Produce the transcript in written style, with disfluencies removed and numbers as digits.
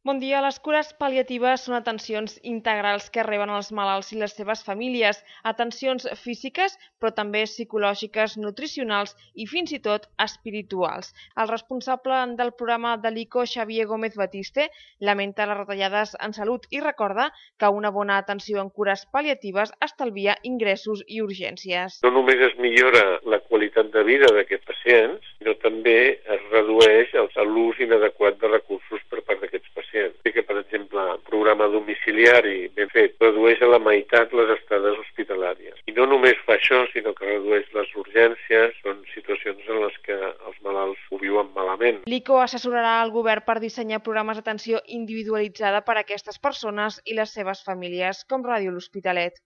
Bon dia. Les cures pal·liatives són atencions integrals que reben els malalts i les seves famílies, atencions físiques, però també psicològiques, nutricionals i fins i tot espirituals. El responsable del programa de l'ICO, Xavier Gómez Batiste, lamenta les retallades en salut i recorda que una bona atenció en cures pal·liatives estalvia ingressos i urgències. No només es millora la qualitat de vida d'aquests pacients, sinó també es redueix l'ús inadequat de recursos per part d'aquests pacients. Sí que, per exemple, un programa domiciliari ben fet redueix a la meitat les estades hospitalàries. I no només fa això, sinó que redueix les urgències, són situacions en les que els malalts ho viuen malament. L'ICO assessorarà el govern per dissenyar programes d'atenció individualitzada per a aquestes persones i les seves famílies, com Ràdio L'Hospitalet.